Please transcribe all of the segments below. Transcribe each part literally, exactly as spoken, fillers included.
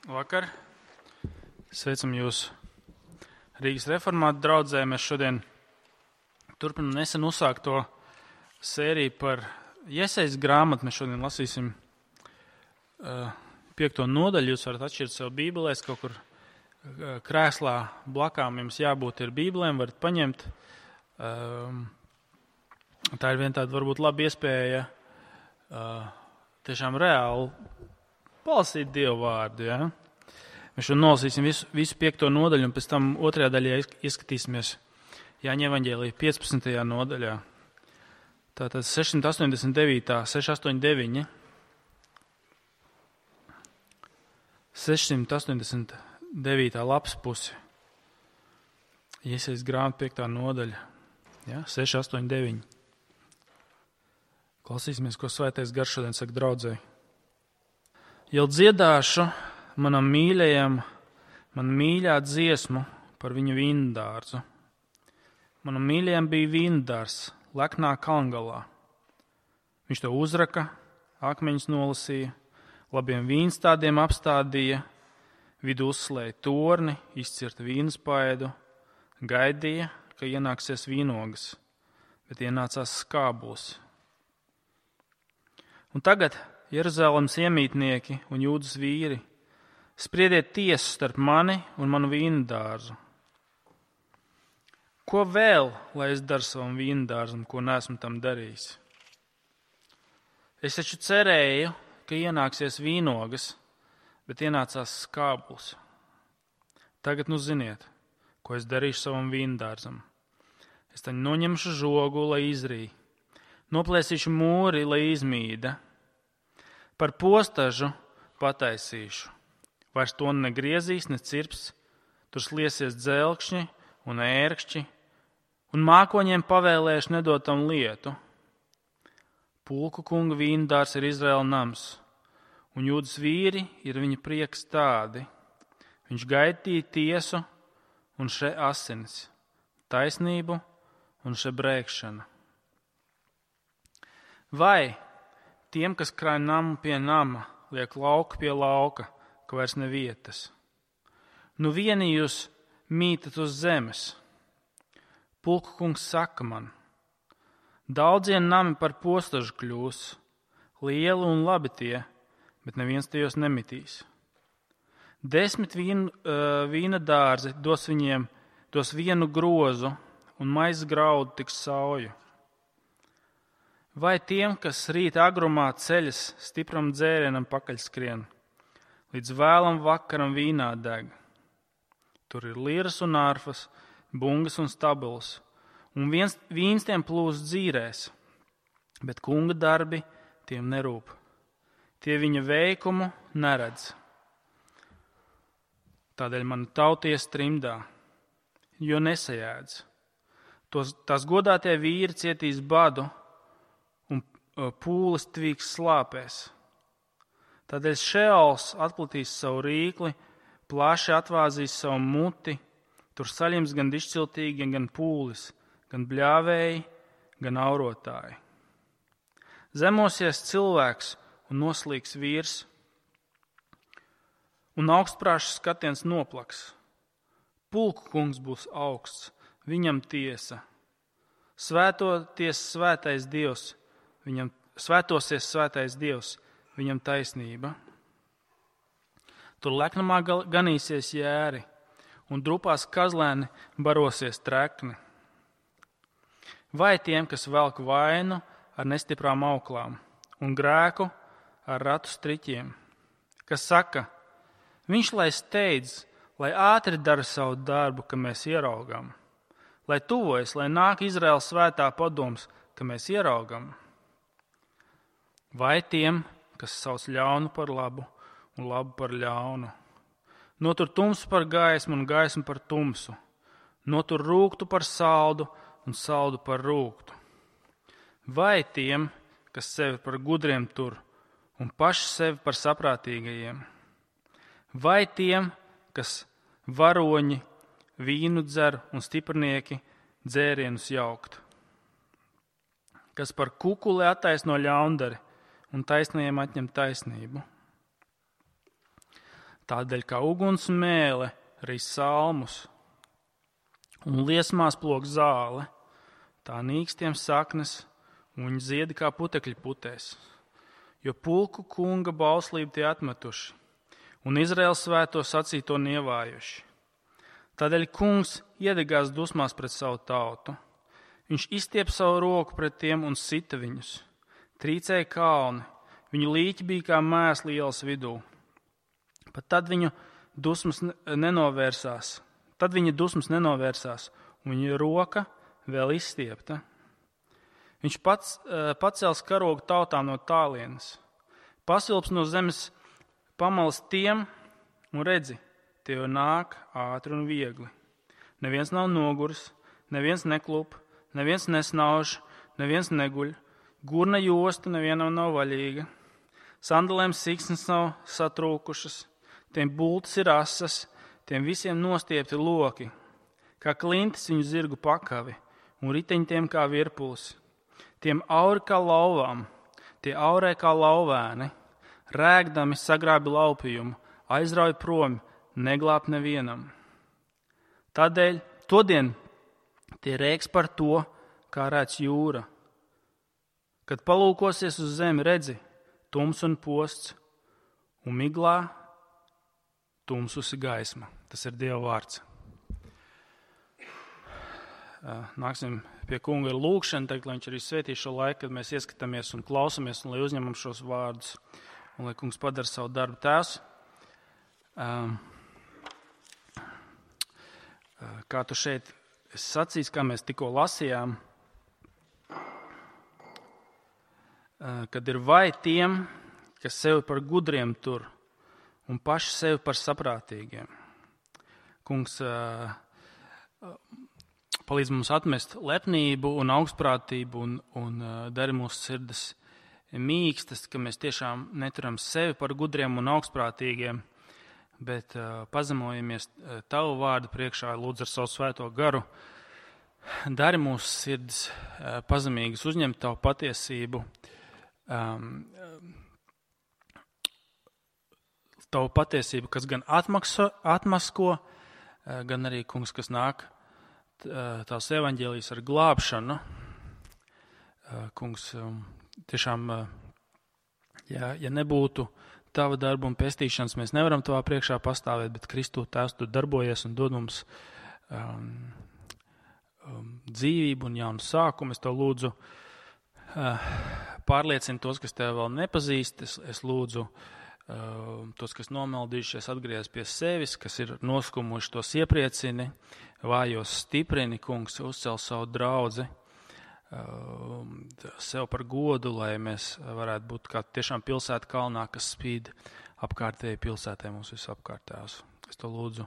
Vakar. Sveicam jūs Rīgas reformātu draudzē. Mēs šodien turpinam nesen uzsākto sēriju par Jesejas grāmatu. Mēs šodien lasīsim uh, piekto nodaļu. Jūs varat atšķirt sev bībelēs, kaut kur uh, krēslā blakām jums jābūt ir bībelēm, varat paņemt. Uh, tā ir viena tāda varbūt laba iespēja uh, tiešām reāli palasīt Dievu vārdu, ja? Mēs šodien nolasīsim visu, visu piekto nodaļu, un pēc tam otrajā daļā ieskatīsimies Jāņa evaņģēlija piecpadsmitajā nodaļā. Tātad sešsimt astoņdesmit devītā, sešsimt astoņdesmit deviņi. sešsimt astoņdesmit devītā lapas pusi. Jesejas grāmata piektā nodaļa. Ja? sešsimt astoņdesmit deviņi. Klausīsimies, ko Svētais Gars šodien saka draudzei. Jau dziedāšu manam mīļajam, man mīļā dziesmu par viņu vīndārzu. Manam mīļajam bija vīndārs leknā kalngalā. Viņš to uzraka, akmeņus nolasīja, labiem vīnstādiem apstādīja, vidu uzslēja torni, izcirta vīnspaidu, gaidīja, ka ienāksies vīnogas, bet ienācās skābuls. Un tagad Jeruzalemes iemītnieki un Jūdas vīri, spriediet tiesu starp mani un manu vīndārzu. Ko vēl, lai es daru savam vīndārzam, ko neesmu tam darījis? Es taču cerēju, ka ienāksies vīnogas, bet ienācās skābuls. Tagad nu ziniet, ko es darīšu savam vīndārzam. Es taņu noņemšu žogu, lai izrī, noplēsīšu mūri, lai izmīda. Par postažu pataisīšu. Vairs to negriezīs, ne cirps, tur sliesies dzelkšņi un ērkšķi, un mākoņiem pavēlēšu nedot tam lietu. Pulku kunga vīndārs ir Izraēla nams, un Jūdas vīri ir viņa prieks tādi. Viņš gaidīja tiesu un še asinis, taisnību un še brēkšana. Vai tiem, kas krāj namu pie nama, liek lauku pie lauka, ka vairs ne vietas. Nu vieni jūs mītat uz zemes. Pulku kungs saka man, daudzien nami par postažu kļūs, lieli un labi tie, bet neviens tajos nemitīs. Desmit vīn, uh, vīna dārzi dos viņiem, dos vienu grozu, un maizes graudu tiks sauju. Vai tiem, kas rīt agrumā ceļas stipram dzērienam pakaļskrien, līdz vēlam vakaram vīnā deg. Tur ir liras un ārfas, bungas un stabils, un viens, vīns tiem plūst dzīrēs, bet kunga darbi tiem nerūp. Tie viņa veikumu neredz. Tādēļ mana tauties trimdā, jo nesajēdz. Tos, tās godātie vīri cietīs badu, pūles tvīks slāpēs. Tādēļ Šeols atplatīs savu rīkli, plaši atvāzīs savu muti, tur saļims gan dišciltīgi, gan pūlis, gan bļāvēji, gan aurotāji. Zemosies cilvēks un noslīgs vīrs, un augstprāšs skatiens noplaks. Pulku kungs būs augsts, viņam tiesa. Svētoties svētais Dievs, Viņam svētosies svētais Dievs, viņam taisnība. Tur leknamā ganīsies jēri, un drupās kazlēni barosies trekni. Vai tiem, kas velk vainu ar nestiprām auklām, un grēku ar ratu striķiem, kas saka, viņš lai steidz, lai ātri dara savu darbu, ka mēs ieraugam, lai tuvojas, lai nāk Izraēla svētā padoms, ka mēs ieraugam. Vai tiem, kas sauc ļaunu par labu un labu par ļaunu, notur tumsu par gaismu un gaismu par tumsu, notur rūgtu par saldu un saldu par rūgtu. Vai tiem, kas sevi par gudriem tur un paši sevi par saprātīgajiem, vai tiem, kas varoņi vīnu dzer un stiprnieki dzērienus jaukt, kas par kukuli attaisno ļaundari un taisnajiem atņem taisnību. Tādēļ kā uguns mēle arī salmus un liesmās plok zāle, tā nīkstiem saknes un viņi ziedi kā putekļi putēs. Jo pulku kunga bauslību tie atmetuši un Izraēlas svēto sacīto nievājuši. Tādēļ kungs iedegās dusmās pret savu tautu. Viņš izstiep savu roku pret tiem un sita viņus. Trīcēja kalni, viņu līķi bija kā mēsli ielas vidū. Pat tad viņu dusmas nenovērsās, tad viņa dusmas nenovērsās, un viņa roka vēl izstiepta. Viņš pats pacels karogu tautām no tālienes, pasilps no zemes pamalas tiem, un redzi, tie jau nāk ātri un viegli. Neviens nav noguris, neviens neklūp, neviens nesnauž, neviens neguļ, gurna josta nevienam nav vaļīga, sandalēm siksnas nav satrūkušas, tiem bultas ir asas, tiem visiem nostiepti loki, kā klintis viņu zirgu pakavi, un riteņi tiem kā virpulis. Tiem auri kā lauvām, tie aurē kā lauvēni, rēgdami sagrābi laupījumu, aizrauj prom, neglāb nevienam. Tādēļ todien tie rēks par to, kā rēc jūra. Kad palūkosies uz zemi, redzi, tums un posts, un miglā tumsusi gaisma. Tas ir Dieva vārds. Nāksim pie kunga ar lūkšanu, teikt, lai viņš arī svētī šo laiku, kad mēs ieskatāmies un klausamies, un lai uzņemam šos vārdus, un lai kungs padara savu darbu tēvs. Um, kā tu šeit esi sacījis, kā mēs tikko lasījām, kad ir vai tiem, kas sevi par gudriem tur un paši sevi par saprātīgiem. Kungs uh, palīdz mums atmest lepnību un augstprātību un, un uh, dari mūsu sirds mīkstas, ka mēs tiešām neturam sevi par gudriem un augstprātīgiem, bet uh, pazemojamies uh, tavu vārdu priekšā, lūdzu ar savu svēto garu. Dari mūsu sirds uh, pazemīgas, uzņemt tavu patiesību, um, tavu patiesību, kas gan atmakso, atmasko, uh, gan arī, kungs, kas nāk tās evaņģēlijas ar glābšanu. Kungs, tiešām, ja, ja nebūtu tava darba un pestīšanas, mēs nevaram tavā priekšā pastāvēt, bet Kristu tēvs tu darbojies un dod mums um, um, dzīvību un jaunu sākumu. Es tev lūdzu uh, pārliecini tos, kas tev vēl nepazīst. Es, es lūdzu uh, tos, kas nomaldījušies, atgriez pie sevis, kas ir noskumuši, tos iepriecini, vājos stiprini, kungs, uzcel savu draudzi, sev par godu, lai mēs varētu būt kā tiešām pilsēta kalnā, kas spīd apkārtēji pilsētē mums visapkārtējās. Es to lūdzu,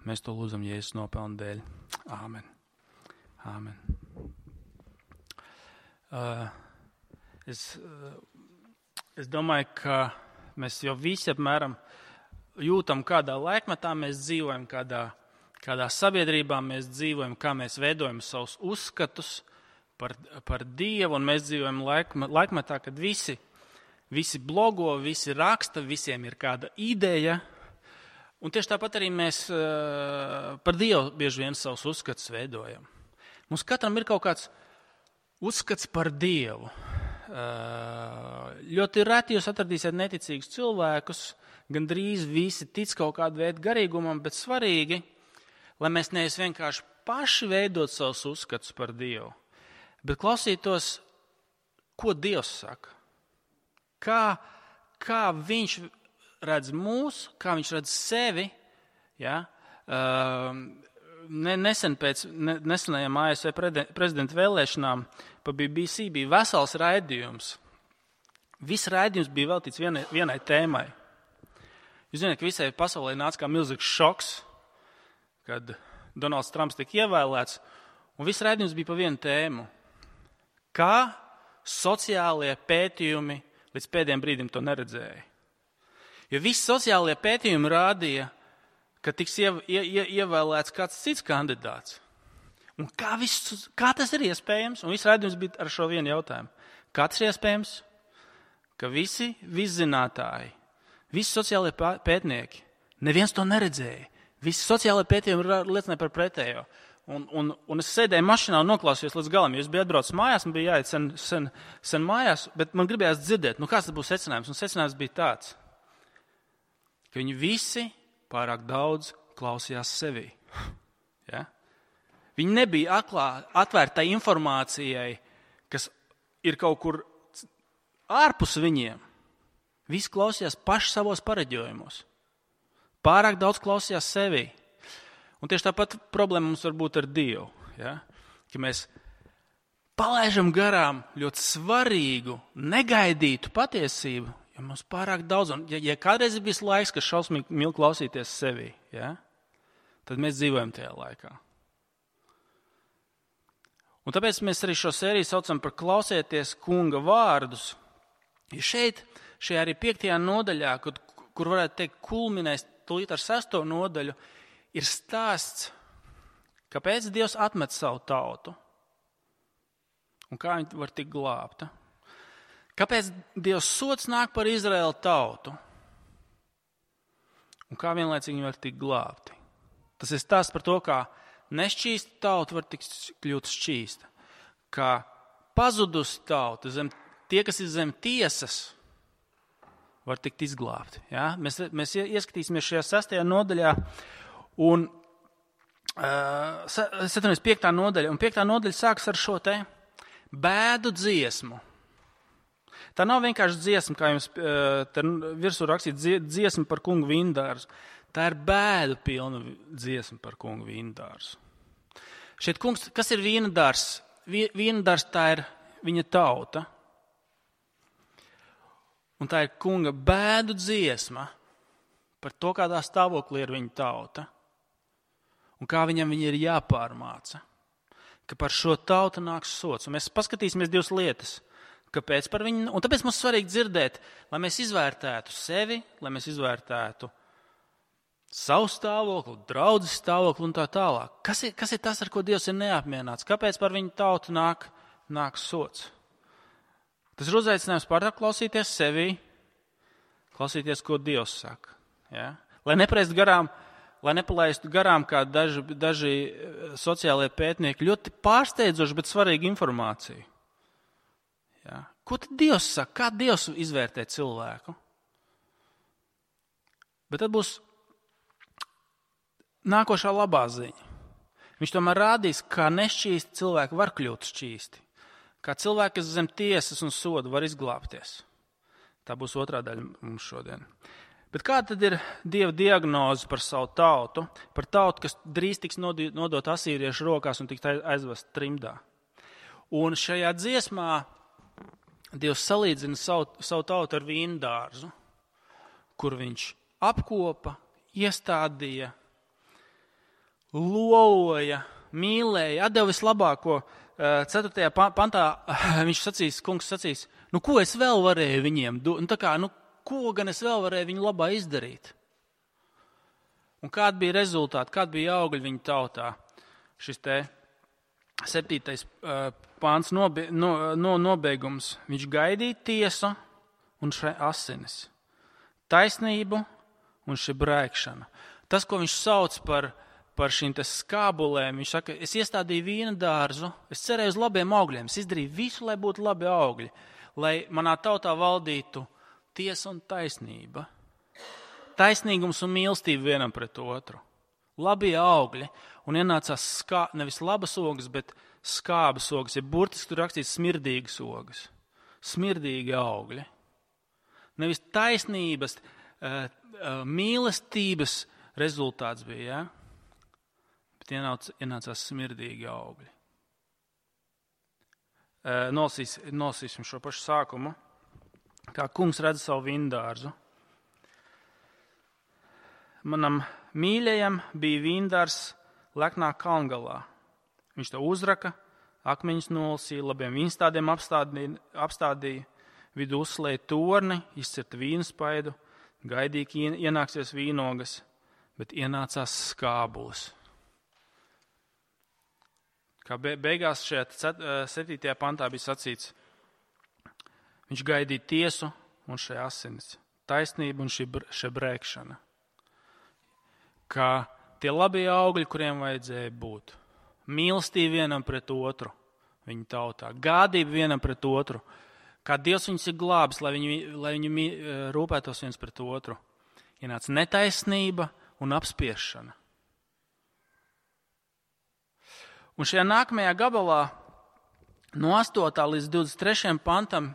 mēs to lūdzam Jēzus nopelnu dēļ. Āmen. Āmen. Uh, es, uh, es domāju, ka mēs jau visi apmēram jūtam, kādā laikmetā mēs dzīvojam, kādā Kādā sabiedrībā mēs dzīvojam, kā mēs veidojam savus uzskatus par, par Dievu, un mēs dzīvojam laikmetā, kad visi, visi blogo, visi raksta, visiem ir kāda ideja, un tieši tāpat arī mēs uh, par Dievu bieži vien savus uzskatus veidojam. Mums katram ir kaut kāds uzskats par Dievu. Uh, ļoti reti jūs atradīsiet neticīgus cilvēkus, gandrīz visi tic kaut kādu veidu garīgumam, bet svarīgi, lai mēs nevis vienkārši paši veidot savus uzskatus par Dievu, bet klausītos, ko Dievs saka. Kā, kā viņš redz mūs, kā viņš redz sevi. Ja? Nesen pēc nesenajām A S V prezidenta vēlēšanām pa B B C bija vesels raidījums. Viss raidījums bija veltīts vienai, vienai tēmai. Jūs zināt, ka visai pasaulē nāca kā milzīgs šoks, kad Donalds Trumps tika ievēlēts, un viss raidījums bija pa vienu tēmu. Kā sociālie pētījumi līdz pēdējiem brīdim to neredzēja. Jo visi sociālie pētījumi rādīja, ka tiks ie, ie, ievēlēts kāds cits kandidāts. Un kā, viss, kā tas ir iespējams? Un viss raidījums bija ar šo vienu jautājumu. Kā tas ir iespējams? Ka visi viszinātāji, visi sociālie pētnieki Neviens to neredzēja. Visi sociālai pētījumi liecināja par pretējo. Un, un, un es sēdēju mašīnā un noklausījos līdz galam. Es biju atbraucis mājās, man bija jāiet sen, sen, sen mājās, bet man gribējās dzirdēt, nu kāds tas būs secinājums. Un secinājums bija tāds, ka viņi visi pārāk daudz klausījās sevī. Ja? Viņi nebija atklā, atvērti tai informācijai, kas ir kaut kur ārpus viņiem. Visi klausījās paši savos pareģojumos. Pārāk daudz klausījās sevī. Un tieši tāpat problēma mums var būt ar Dievu. Ja? Ka mēs palaižam garām ļoti svarīgu, negaidītu patiesību, jo mums pārāk daudz. Un ja, ja kādreiz ir bijis laiks, kas šausmīgi mīl klausīties sevī, ja? Tad mēs dzīvojam tajā laikā. Un tāpēc mēs arī šo sēriju saucam par klausieties kunga vārdus. Ja šeit, šajā arī piektajā nodaļā, kur, kur varētu teikt kulminēs tūlīt ar sesto nodaļu, ir stāsts, kāpēc Dievs atmet savu tautu un kā viņi var tikt glābta. Kāpēc Dievs sots nāk par Izraēlu tautu un kā vienlaicīgi viņi var tikt glābti. Tas ir stāsts par to, kā nešķīsta tauta var tikt kļūt šķīsta, kā pazudus tauta, zem, tie, kas ir zem tiesas, var tikt izglābti. Ja? Mēs, mēs ieskatīsimies šajā sastajā nodaļā, un uh, piektā nodaļa, un piektā nodaļa sākas ar šo te bēdu dziesmu. Tā nav vienkārši dziesma, kā jums uh, virsū rakstīt, dziesma par kungu vīndārzu. Tā ir bēdu pilna dziesma par kungu vīndārzu. Šeit kungs, kas ir vīndārs? Vīndārs tā ir viņa tauta. Un tā ir kunga bēdu dziesma par to, kādā stāvoklī ir viņa tauta. Un kā viņam viņa ir jāpārmāca. Ka par šo tautu nāks sots. Un mēs paskatīsimies divas lietas. Kāpēc par viņu? Un tāpēc mums svarīgi dzirdēt, lai mēs izvērtētu sevi, lai mēs izvērtētu savu stāvokli, draudzes stāvokli un tā tālāk. Kas ir, kas ir tas, ar ko Dievs ir neapmierināts? Kāpēc par viņu tautu nāk, nāk sots? Tas ir uzaicinājums pārāk klausīties sevī, klausīties, ko Dievs saka. Ja? Lai nepalaistu garām, lai nepalaistu garām kā daži, daži sociālie pētnieki, ļoti pārsteidzoši, bet svarīgi informāciju. Ja? Ko tad Dievs saka? Kā Dievs izvērtē cilvēku? Bet tad būs nākošā labā ziņa. Viņš tomēr rādīs, kā nešķīsti cilvēki var kļūt šķīsti. Kā cilvēki, kas zem tiesas un soda var izglābties. Tā būs otrā daļa mums šodien. Bet kā tad ir Dieva diagnoze par savu tautu? Par tautu, kas drīz tiks nodot asīriešu rokās un tiks aizvest trimdā. Un šajā dziesmā Dievs salīdzina savu, savu tautu ar vīndārzu, kur viņš apkopa, iestādīja, loloja, mīlēja, atdeva vislabāko. ceturtajā pantā viņš sacīs, kungs sacīs, nu ko es vēl varēju viņiem, nu tā kā, nu ko gan es vēl varēju viņu labā izdarīt? Un kāda bija rezultāti, kāda bija augļi viņa tautā? Šis te septītais uh, pāns nobe, no, no, nobeigums. Viņš gaidīja tiesu un šai asinis. Taisnību un šī brēkšana. Tas, ko viņš sauc par par šīm te skābulēm, viņš saka, es iestādīju vīna dārzu, es cerēju uz labiem augļiem, es izdarīju visu, lai būtu labi augļi, lai manā tautā valdītu tiesa un taisnība, taisnīgums un mīlestība vienam pret otru, labie augļi, un ienācās skā, nevis labas ogas, bet skābas ogas, ja burtiski tur rakstīts smirdīgas ogas, smirdīgi augļi, nevis taisnības, uh, uh, mīlestības rezultāts bija, ja? Bet ienāc, ienācās smirdīgi augļi. Nolasīs, nolasīsim šo pašu sākumu. Kā kungs redz savu vīndārzu. Manam mīļajam bija vīndārs leknā kalngalā. Viņš to uzraka, akmeņus nolasīja, labiem vīnstādiem apstādīja, apstādīja vidu uzslēja torni, izcirta vīnspaidu, gaidīja, ka ienāksies vīnogas, bet ienācās skābulis. Kā beigās šajā septītajā pantā bija sacīts, viņš gaidīja tiesu un šai asinis, taisnību un šī brēkšana. ka tie labie augļi, kuriem vajadzēja būt, mīlestība vienam pret otru, viņa tautā, gādība vienam pret otru, kā Dievs viņus ir glābis, lai viņi, lai viņi rūpētos viens pret otru, ienāca netaisnība un apspiešana. Un šajā nākamajā gabalā, no astotā līdz divdesmit trešajam pantam,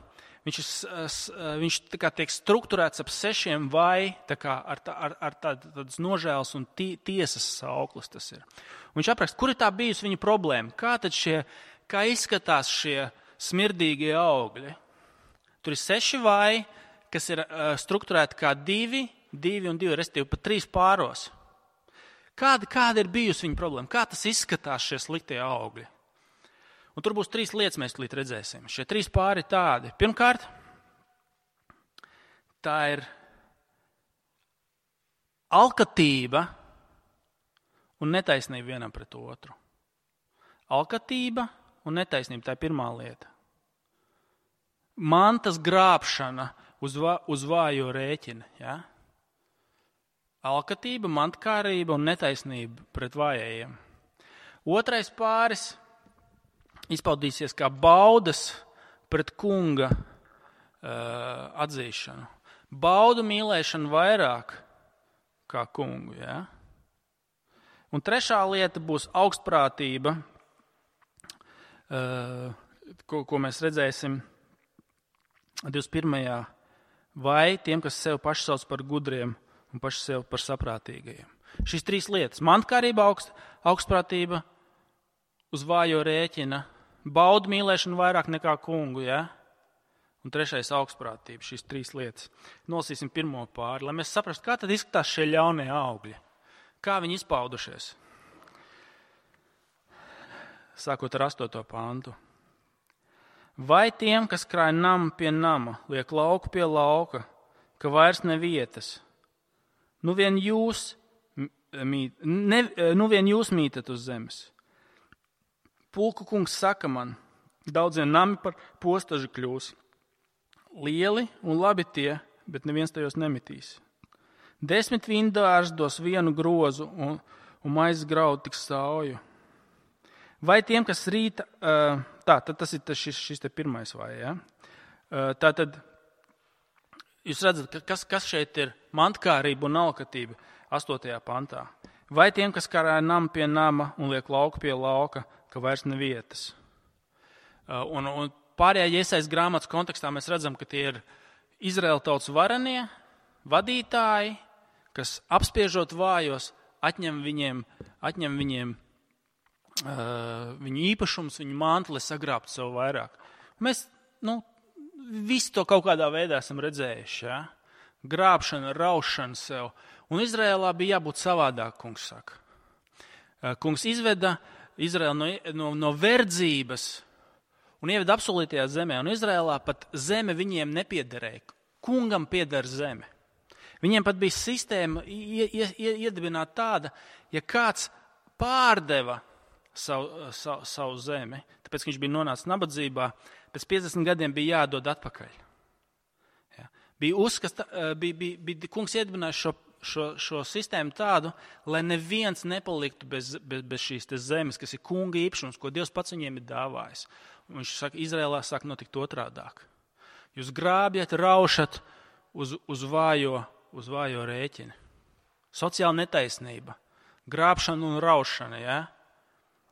viņš, viņš tā kā tiek strukturēts ap sešiem vai, tā kā ar, tā, ar, ar tādu, tādas nožēlas un tī, tiesas sauklis tas ir. Un viņš apraksta, kur ir tā bijusi viņa problēma, kā tad šie, kā izskatās šie smirdīgie augļi. Tur ir seši vai, kas ir uh, strukturēti kā divi, divi un divi, respektīvi pat trīs pāros. Kāda, kāda ir bijusi viņa problēma? Kā tas izskatās šie sliktie augļi? Un tur būs trīs lietas, mēs līdz redzēsim. Šie trīs pāri tādi. Pirmkārt, tā ir alkatība un netaisnība vienam pret otru. Alkatība un netaisnība, tā ir pirmā lieta. Mantas grābšana uz, va, uz vājo rēķina. Ja? Alkatība, mantkārība un netaisnība pret vājajiem. Otrais pāris izpaudīsies kā baudas pret kunga uh, atzīšanu. Baudu mīlēšanu vairāk kā kungu. Ja? Un trešā lieta būs augstprātība, uh, ko, ko mēs redzēsim divdesmit pirmajā vai tiem, kas sev paši sauc par gudriem un paši sev par saprātīgajiem. Šīs trīs lietas – mantkārība, augst, augstprātība uz vājo rēķina, baudu mīlēšanu vairāk nekā kungu, ja? Un trešais augstprātība, šīs trīs lietas. Nolasīsim pirmo pāri, lai mēs saprastu, kā tad izskatās šie ļaunie augļi, kā viņi izpaudušies. Sākot ar astoto pantu. Vai tiem, kas krāj namu pie nama, liek lauku pie lauka, ka vairs ne vietas, nu vien jūs, mīt, ne, nu vien jūs mītat uz zemes. Pulku kungs saka man, daudziem nami par postažu kļūs. Lieli un labi tie, bet neviens tajos nemitīs. Desmit vīndārs dos vienu grozu un, un maizes graudu tik sauju. Vai tiem, kas rīta, tā, tad tas ir šis, šis te pirmais vai, ja? Tā tad, jūs redzat, kas, kas šeit ir mantkārība un alkatība astotajā pantā. Vai tiem, kas karāja namu pie nama un liek lauku pie lauka, ka vairs ne vietas. Un, un pārējā iesaist grāmatas kontekstā mēs redzam, ka tie ir Izraēla tautas varenie, vadītāji, kas apspiežot vājos, atņem viņiem, atņem viņiem uh, viņu īpašums, viņu mantu, lai sagrābtu sev vairāk. Mēs, nu, visu to kaut kādā veidā esam redzējuši, ja? Grābšana, raušana sev. Un Izraēlā bija jābūt savādāk, kungs saka. Uh, kungs izveda Izraēlu no, no, no verdzības un ieveda apsolītajā zemē. Un Izraēlā pat zeme viņiem nepiederēja. Kungam pieder zeme. Viņiem pat bija sistēma iedibināta tāda, ja kāds pārdeva savu, savu, savu zemi, tāpēc, ka viņš bija nonācis nabadzībā, pēc piecdesmit gadiem bija jādod atpakaļ. Ja. Bija uzskata, bija, bija, bija kungs iedibinājis šo Šo, šo sistēmu tādu, lai neviens nepaliktu bez, bez, bez šīs zemes, kas ir kunga īpašums, ko Dievs pats viņiem ir dāvājis. Un viņš saka, Izrēlā sāk notikt otrādāk. Jūs grābjat, raušat uz, uz, vājo, uz vājo rēķini. Sociāla netaisnība, grābšana un raušana, ja?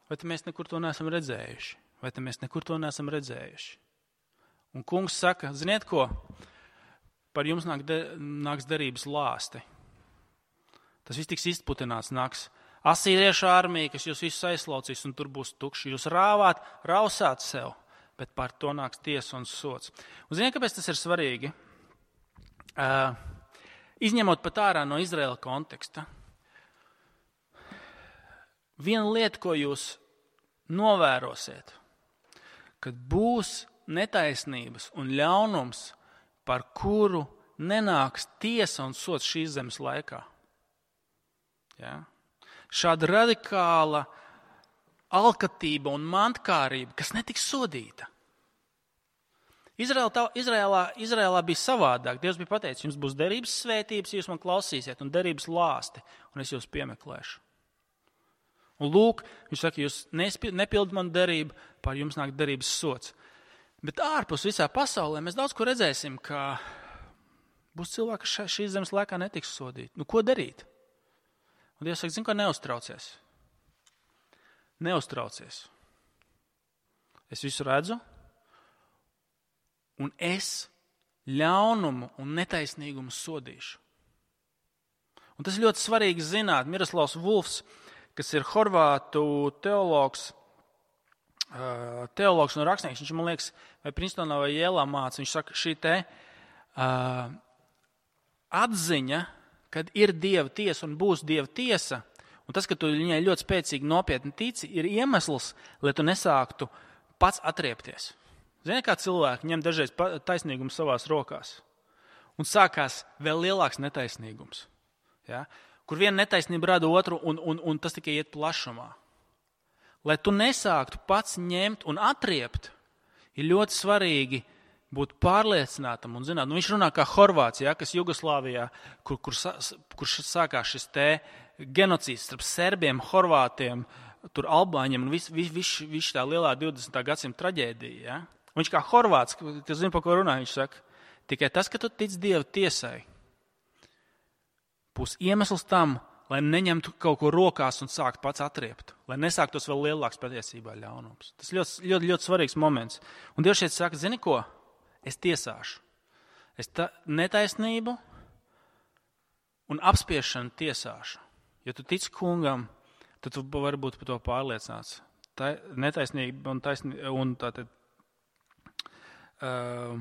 Vai te mēs nekur to neesam redzējuši? Vai te mēs nekur to neesam redzējuši? Un kungs saka, ziniet ko? Par jums nāk de, nāks derības lāsti. Tas viss tiks izputināts, nāks asīriešu armija, kas jūs visus aizslaucīs, un tur būs tukši. Jūs rāvāt, rausāt sev, bet par to nāks tiesa un sots. Un ziniet, kāpēc tas ir svarīgi? Uh, izņemot pat ārā no Izraēla konteksta, viena lieta, ko jūs novērosiet, kad būs netaisnības un ļaunums, par kuru nenāks tiesa un sots šīs zemes laikā. Ja? Šāda radikāla alkatība un mantkārība, kas netiks sodīta. Izraēlā, Izraēlā, Izraēlā bija savādāk. Dievs bija pateicis, jums būs derības svētības, jūs man klausīsiet, un derības lāsti, un es jūs piemeklēšu. Un lūk, viņš saka, jūs nepildat manu derību, pār jums nāk derības sots. Bet ārpus visā pasaulē mēs daudz ko redzēsim, ka būs cilvēki, kas šīs zemes laikā netiks sodīti. Nu, ko darīt? Un Dievs saka, zin, ko neuztraucies. Neuztraucies. Es visu redzu, un es ļaunumu un netaisnīgumu sodīšu. Un tas ir ļoti svarīgi zināt. Miroslavs Vulfs, kas ir horvātu teologs, teologs un rakstnieks, viņš, man liekas, vai Princetonā vai Jēlā māca, viņš saka, šī te uh, atziņa, kad ir Dieva tiesa un būs Dieva tiesa, un tas, ka tu viņai ļoti spēcīgi nopietni tici, ir iemesls, lai tu nesāktu pats atriepties. Zini, kā cilvēki ņem dažreiz taisnīgumu savās rokās, un sākās vēl lielāks netaisnīgums, ja? Kur viena netaisnība rada otru, un, un, un tas tikai iet plašumā. Lai tu nesāktu pats ņemt un atriept, ir ļoti svarīgi būt pārliecinātam un zināt. Nu, viņš runā kā Horvāts, ja, kas Jugoslāvijā, kur, kur, kur sākās šis te genocīds starp serbiem, horvātiem, tur albāņiem un viss vis, vis, vis tā lielā divdesmitā gadsimta traģēdija. Ja. Viņš kā Horvāts, kas zina, pa ko runā, viņš saka, tikai tas, ka tu tic Dieva tiesai, būs iemesls tam, lai neņemtu kaut ko rokās un sākt pats atriept, lai nesāktos vēl lielāks patiesībā ļaunums. Tas ļoti, ļoti, ļoti svarīgs moments. Un Dievs šeit saka, zini ko? Es tiesāšu. Es ta, netaisnību un apspiešanu tiesāšu. Ja tu tici kungam, tad tu vari būt par to pārliecināts. Tā netaisnība un, taisnī, un tā tad uh,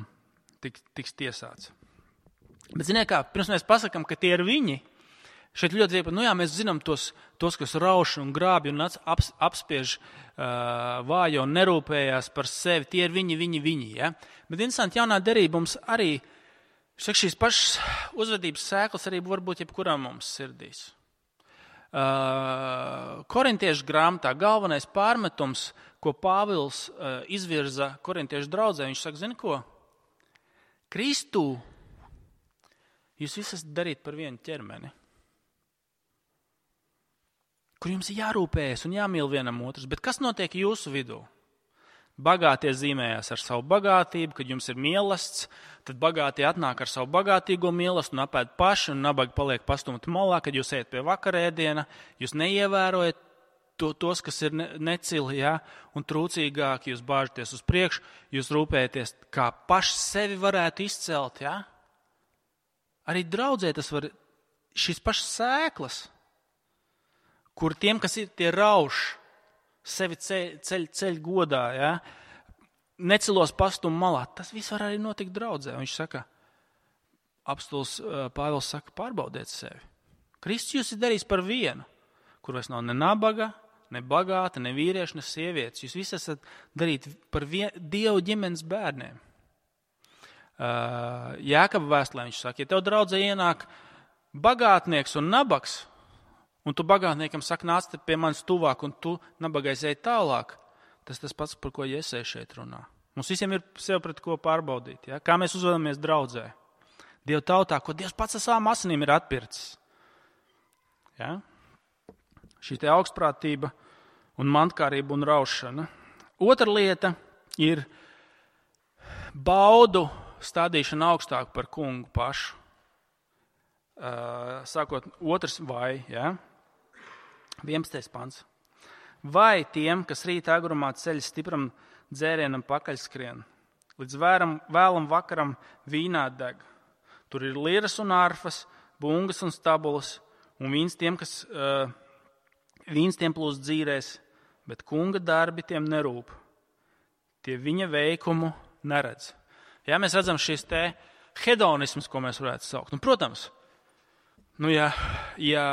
tik, tiks tiesāts. Bet ziniet kā, pirms mēs pasakam, ka tie ir viņi, šeit ļoti dzirdēt, nu jā, mēs zinām tos, tos kas rauš un grābj un aps, apspiež uh, vājo un nerūpējās par sevi, tie ir viņi, viņi, viņi. Ja? Bet interesanti, jaunā derība mums arī, saka, šīs pašas uzvedības sēklas arī var būt jebkurām mums sirdīs. Uh, Korintiešu grāmatā galvenais pārmetums, ko Pāvils uh, izvirza korintiešu draudzē, viņš saka, zini ko? Kristū jūs visi esat darīt par vienu ķermeni, kur jums ir jārūpējas un jāmīl vienam otrs, bet kas notiek jūsu vidū? Bagātie zīmējās ar savu bagātību, kad jums ir mielasts, tad bagātie atnāk ar savu bagātīgo mielastu un apēd paši, un nabagi paliek pastumti malā, kad jūs ejat pie vakarēdiena, jūs neievērojat to, tos, kas ir ne, necili, ja? Un trūcīgāki, jūs bāžaties uz priekšu, jūs rūpējaties, kā paši sevi varētu izcelt, ja? Arī draudzē tas var, šīs pašas sēklas, kur tiem, kas ir tie rauš, sevi ceļ, ceļ, ceļ godā, ja? Necilos pastumu malā, tas viss var arī notikt draudzē. Viņš saka, apstulis Pāvils saka, pārbaudiet sevi. Kristus jūs ir darījis par vienu, kur vairs nav ne nabaga, ne bagāta, ne vīrieši, ne sievietes. Jūs visi esat darīti par vien, Dievu ģimenes bērniem. Uh, Jākaba vēstulē viņš saka, ja tev draudzē ienāk bagātnieks un nabaks, un tu bagātniekam saka, nāc pie manis tuvāk, un tu nabagais ej tālāk, tas tas pats, par ko Iesai šeit runā. Mums visiem ir sev pret ko pārbaudīt, ja? Kā mēs uzvedamies draudzē. Dieva tautā, ko Dievs pats ar savām asinīm ir atpircis. Ja? Šī te augstprātība un mantkārība un raušana. Otra lieta ir baudu stādīšana augstāk par kungu pašu. Uh, sākot otrs vai, ja? vienpadsmitais pants. Vai tiem, kas rīt agrumā ceļ stipram dzērienam pakaļskrien, līdz vēram, vēlam vakaram vīnā deg. Tur ir liras un arfas, bungas un stabulas, un vīns tiem, kas uh, vīns tiem plūst dzīrēs, bet kunga darbi tiem nerūp. Tie viņa veikumu neredz. Ja, mēs redzam šis te hedonisms, ko mēs varētu saukt. Un, protams, nu, ja, ja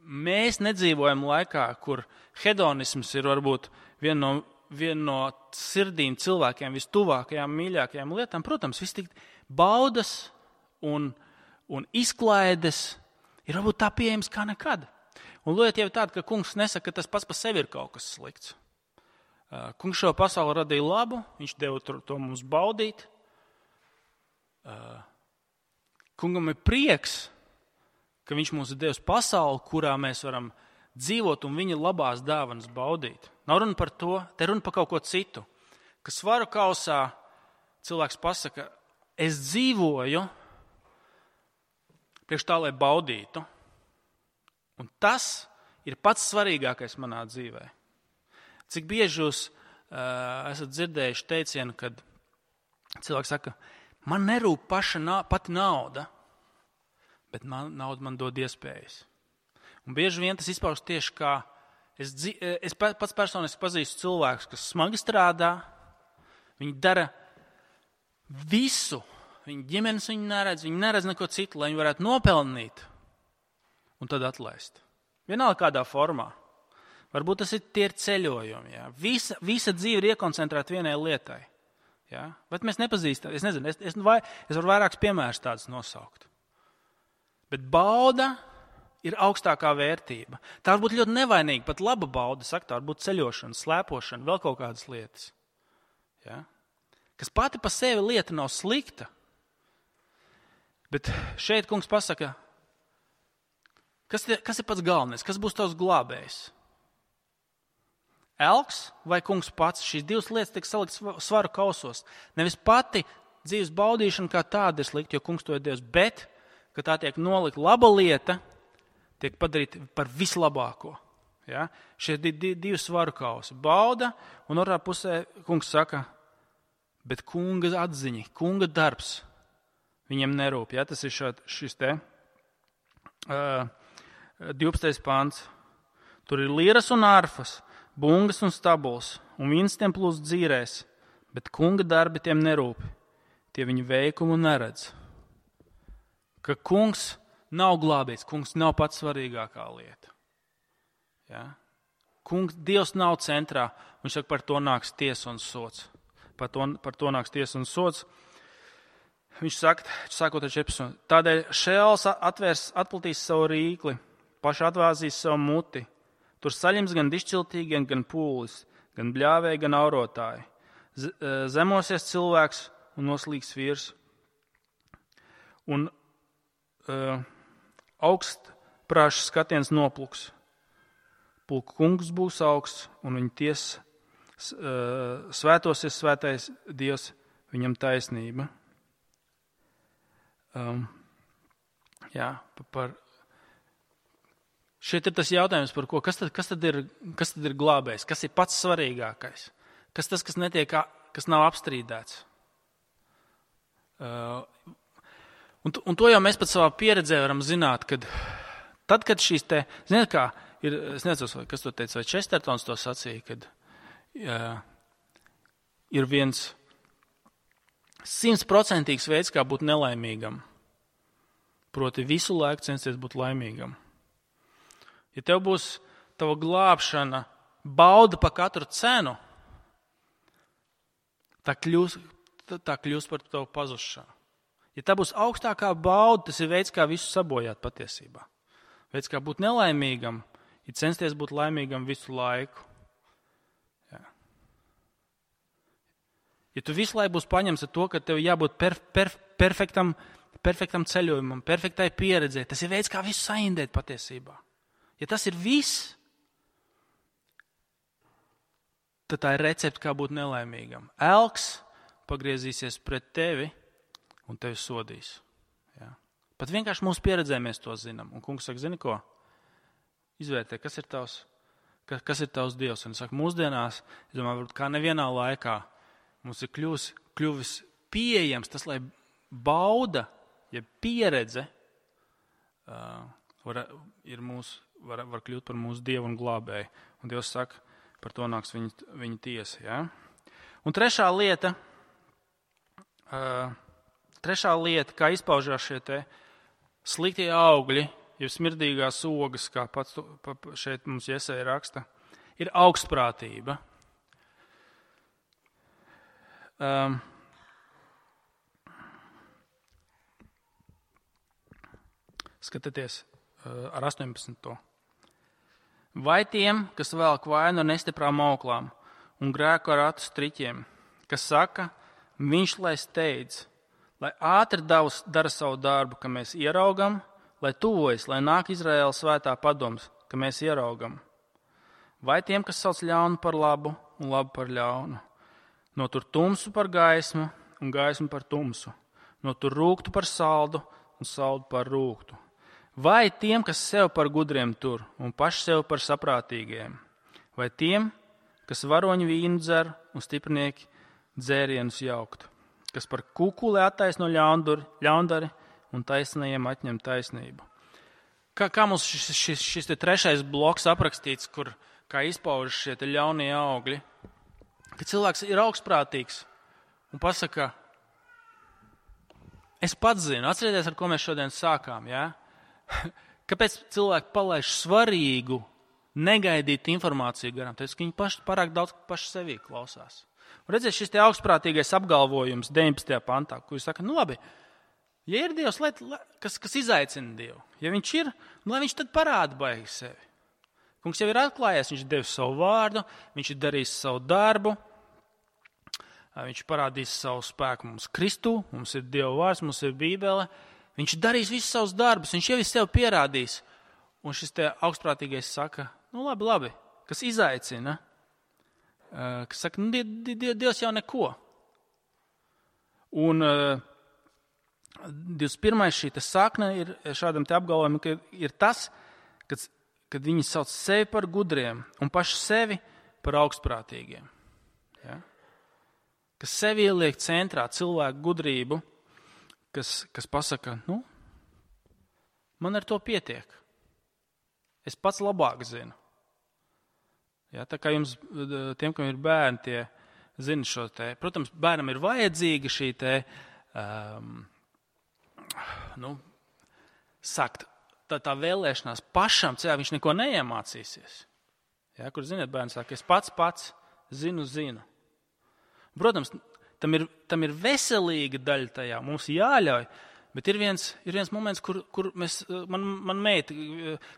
mēs nedzīvojam laikā, kur hedonisms ir varbūt viena no, vien no sirdīm cilvēkiem vistuvākajām, mīļākajām lietām, protams, viss tik baudas un, un izklaides ir varbūt tā pieejams kā nekad. Un lieta jau tāda, ka kungs nesaka, ka tas pats par sevi ir kaut kas slikts. Kungs šo pasauli radīja labu, viņš deva to mums baudīt. Kungam ir prieks, ka viņš mums ir devis pasauli, kurā mēs varam dzīvot un viņa labās dāvanas baudīt. Nav runa par to, te runa par kaut ko citu. Ka svaru kausā cilvēks pasaka, es dzīvoju priekš tā, lai baudītu. Un tas ir pats svarīgākais manā dzīvē. Cik bieži jūs uh, esat dzirdējuši teicienu, kad cilvēks saka, man nerūp paša na- pati nauda, bet man, nauda man dod iespējas. Un bieži vien tas izpaužas tieši kā, es, dzi- es pats personiski pazīstu cilvēkus, kas smagi strādā, viņi dara visu, viņi ģimenes viņi neredz, viņi neredz neko citu, lai viņi varētu nopelnīt un tad atlaist. Vienalga kādā formā. Varbūt tas ir tie ir ceļojumi. Jā. Visa, visa dzīve ir iekoncentrēta vienai lietai. Jā. Bet mēs nepazīstam. Es nezinu, es, es, vai, es varu vairākus piemērus tādus nosaukt. Bet bauda ir augstākā vērtība. Tā var būt ļoti nevainīga, pat laba bauda, saka, tā var būt ceļošana, slēpošana, vēl kaut kādas lietas. Jā. Kas pati pa sevi lieta nav slikta. Bet šeit kungs pasaka, kas, te, kas ir pats galvenais, kas būs tavs glābējs? Elks vai kungs pats? Šīs divas lietas tiek saliktas svaru kausos. Nevis pati dzīves baudīšana kā tāda ir slikta, jo kungs to ir devis, bet, ka tā tiek nolikt laba lieta, tiek padarīta par vislabāko. Ja? Šie di, di, divi svaru kausi. Bauda, un otrā pusē kungs saka, bet kunga atziņa, kunga darbs viņam nerūp. Ja? Tas ir šād, šis te uh, divpadsmitais pants. Tur ir liras un arfas, bungas un stabuls, un viens tiem plūst dzīrēs, bet kunga darbi tiem nerūp, tie viņa veikumu neredz. Ka kungs nav glābīts, kungs nav pats svarīgākā lieta. Ja? Kungs, Dievs nav centrā, viņš saka, par to nāks tiesa un sots. Par to, par to nāks tiesa un sots. Viņš saka, sākot ar četrpadsmit. Tādēļ Šeels atvērs, atplatīs savu rīkli, paši atvāzīs savu muti. Tur saļems gan dišciltīgi, gan pūlis, gan bļāvēji, gan aurotāji. Zemosies cilvēks un noslīgs vīrs. Un uh, augstprāšs skatiens nopluks. Pulku kungs būs augsts, un viņa ties uh, svētosies svētais Dievs, viņam taisnība. Um, jā, par Šeit ir tas jautājums, par ko, kas tad, kas tad ir, kas tad ir glābējs, kas ir pats svarīgākais, kas tas, kas netiek, kas nav apstrīdēts. Uh, un, un to jau mēs pat savā pieredzē varam zināt, kad tad, kad šīs te, ziniet kā, ir, es nezinu, kas to teica, vai Čestertons to sacīja, kad uh, ir viens simtprocentīgs veids, kā būt nelaimīgam, proti visu laiku censties būt laimīgam. Ja tev būs tava glābšana bauda pa katru cenu, tā kļūs, tā kļūs par tavu pazušanu. Ja tā būs augstākā bauda, tas ir veids, kā visu sabojāt patiesībā. Veids, kā būt nelaimīgam, ir censties būt laimīgam visu laiku. Jā. Ja tu visu laiku būs paņems ar to, ka tev jābūt per, per, perfektam, perfektam ceļojumam, perfektai pieredzē, tas ir veids, kā visu saindēt patiesībā. Ja tas ir viss, tad tā ir recepte, kā būt nelaimīgam. Elks pagriezīsies pret tevi un tevi sodīs. Ja? Pat vienkārši mūsu pieredzē mēs to zinām. Un kungs saka, zini ko? Izvērtē, kas ir tavs, kas, kas ir tavs Dievs. Un saka, mūsdienās, es domāju, kā nevienā laikā mums ir kļuvis, kļuvis pieejams tas, lai bauda, ja pieredze uh, var, ir mūsu, var, var kļūt par mūsu Dievu un glābēju. Un Dievs saka, par to nāks viņa, viņa tiesa. Ja? Un trešā lieta, uh, trešā lieta, kā izpaužās šie te sliktie augļi, jau smirdīgās ogas, kā pats šeit mums Jesaja raksta, ir augstprātība. Um, skatieties uh, ar astoņpadsmito Vai tiem, kas velk vainu ar nestiprām auklām un grēku ar atu striķiem, kas saka, viņš lai steidz, lai ātri davus, dara savu darbu, ka mēs ieraugam, lai tuvojas, lai nāk Izraēla svētā padoms, ka mēs ieraugam. Vai tiem, kas sauc ļaunu par labu un labu par ļaunu, notur tumsu par gaismu un gaismu par tumsu, notur rūktu par saldu un saldu par rūktu. Vai tiem, kas sev par gudriem tur un paši sev par saprātīgiem, vai tiem, kas varoņu vīnu dzer un stiprinieki dzērienus jaukt, kas par kukuli attaisno ļaundari un taisnajiem atņem taisnību. Kā, kā mums šis, šis, šis te trešais bloks aprakstīts, kur kā izpaužas šie te ļaunie augļi, ka cilvēks ir augstprātīgs un pasaka, es pats zinu, atcerieties, ar ko mēs šodien sākām, jā? Kāpēc cilvēki palaiž svarīgu, negaidīt informāciju garām? Tāpēc, ka viņi paši pārāk daudz paši sevī klausās. Un redziet, šis te augstprātīgais apgalvojums deviņpadsmitajā pantā, kur viņš saka, nu labi, ja ir Dievs, lai, kas, kas izaicina Dievu, ja viņš ir, nu, lai viņš tad parāda baigi sevi. Kungs jau ir atklājies, viņš ir devis savu vārdu, viņš ir darījis savu darbu, viņš parādīs savu spēku mums Kristū, mums ir Dieva vārds, mums ir Bībele, viņš darīs visus savus darbus, viņš jau ir sev pierādījis. Un šis te augstprātīgais saka, nu labi, labi, kas izaicina, kas saka, nu Dievs jau neko. Un divdesmit pirmais šī te sakne ir šādam te apgalvojumam, ka ir tas, kad kad viņi sauc sevi par gudriem un paši sevi par augstprātīgiem. Ja? Kas sevi ieliek centrā cilvēku gudrību, kas, kas pasaka, nu, man ar to pietiek. Es pats labāk zinu. Ja? Tā kā jums, tiem, kam ir bērni, tie zina šo te. Protams, bērnam ir vajadzīga šī te, um, nu, sakt, Tā, tā vēlēšanās pašam, ceļā viņš neko neiemācīsies. Ja, kur, ziniet, bērns saka, es pats pats zinu, zinu. Protams, tam ir, tam ir veselīga daļa tajā, mums jāļauj, bet ir viens, ir viens moments, kur, kur mēs, man, man meita,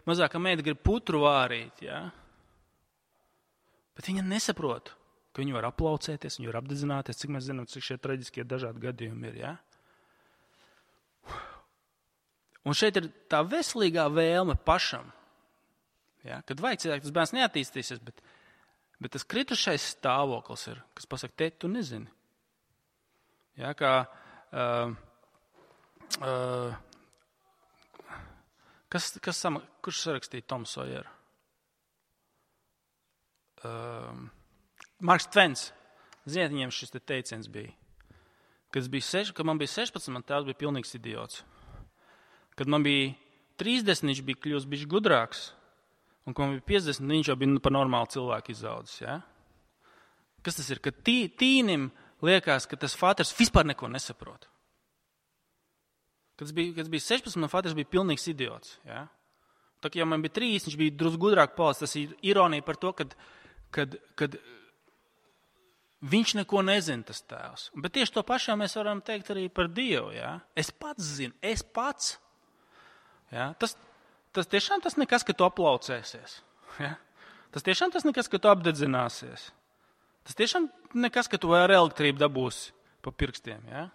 mazākā meita grib putru vārīt, ja? Bet viņa nesaprot, ka viņi var aplaucēties, viņi var apdedzināties, cik mēs zinām, cik šie traģiskie dažādi gadījumi ir, ja? Un šeit ir tā veselīgā vēlme pašam, ja, kad vajag cilvēku, tas bērns neattīstīsies, bet, bet tas kritušais stāvoklis ir, kas pasaka, tēt, tu nezini. Ja, kā, uh, uh, kas, kas sama, kurš sarakstīja Tomu Sojeru? Uh, Marks Tvens, ziniet, viņiem šis te teiciens bija, kad, bija seš, kad man bija sešpadsmit, man tēvs bija pilnīgs idiots. Kad man bija trīsdesmit, viņš bija kļūst bišķi gudrāks, un kad man bija piecdesmit, viņš jau bija par normālu cilvēku izaudzis. Ja? Kas tas ir? Kad tī, tīnim liekas, ka tas fāters vispār neko nesaprot. Kad es biju, kad es biju sešpadsmit, man fāters bija pilnīgs idiots. Ja? Tā kā jau man bija trīsdesmit, viņš bija drusku gudrāk palicis. Tas ir ironija par to, kad, kad, kad viņš neko nezina, tas tēvs. Bet tieši to pašā mēs varam teikt arī par Dievu. Ja? Es pats zinu, es pats. Ja? Tas, tas tiešām tas nekas, ka tu aplaucēsies. Ja? Tas tiešām tas nekas, ka tu apdedzināsies. Tas tiešām nekas, ka tu ar elektrību dabūsi pa pirkstiem. Ja?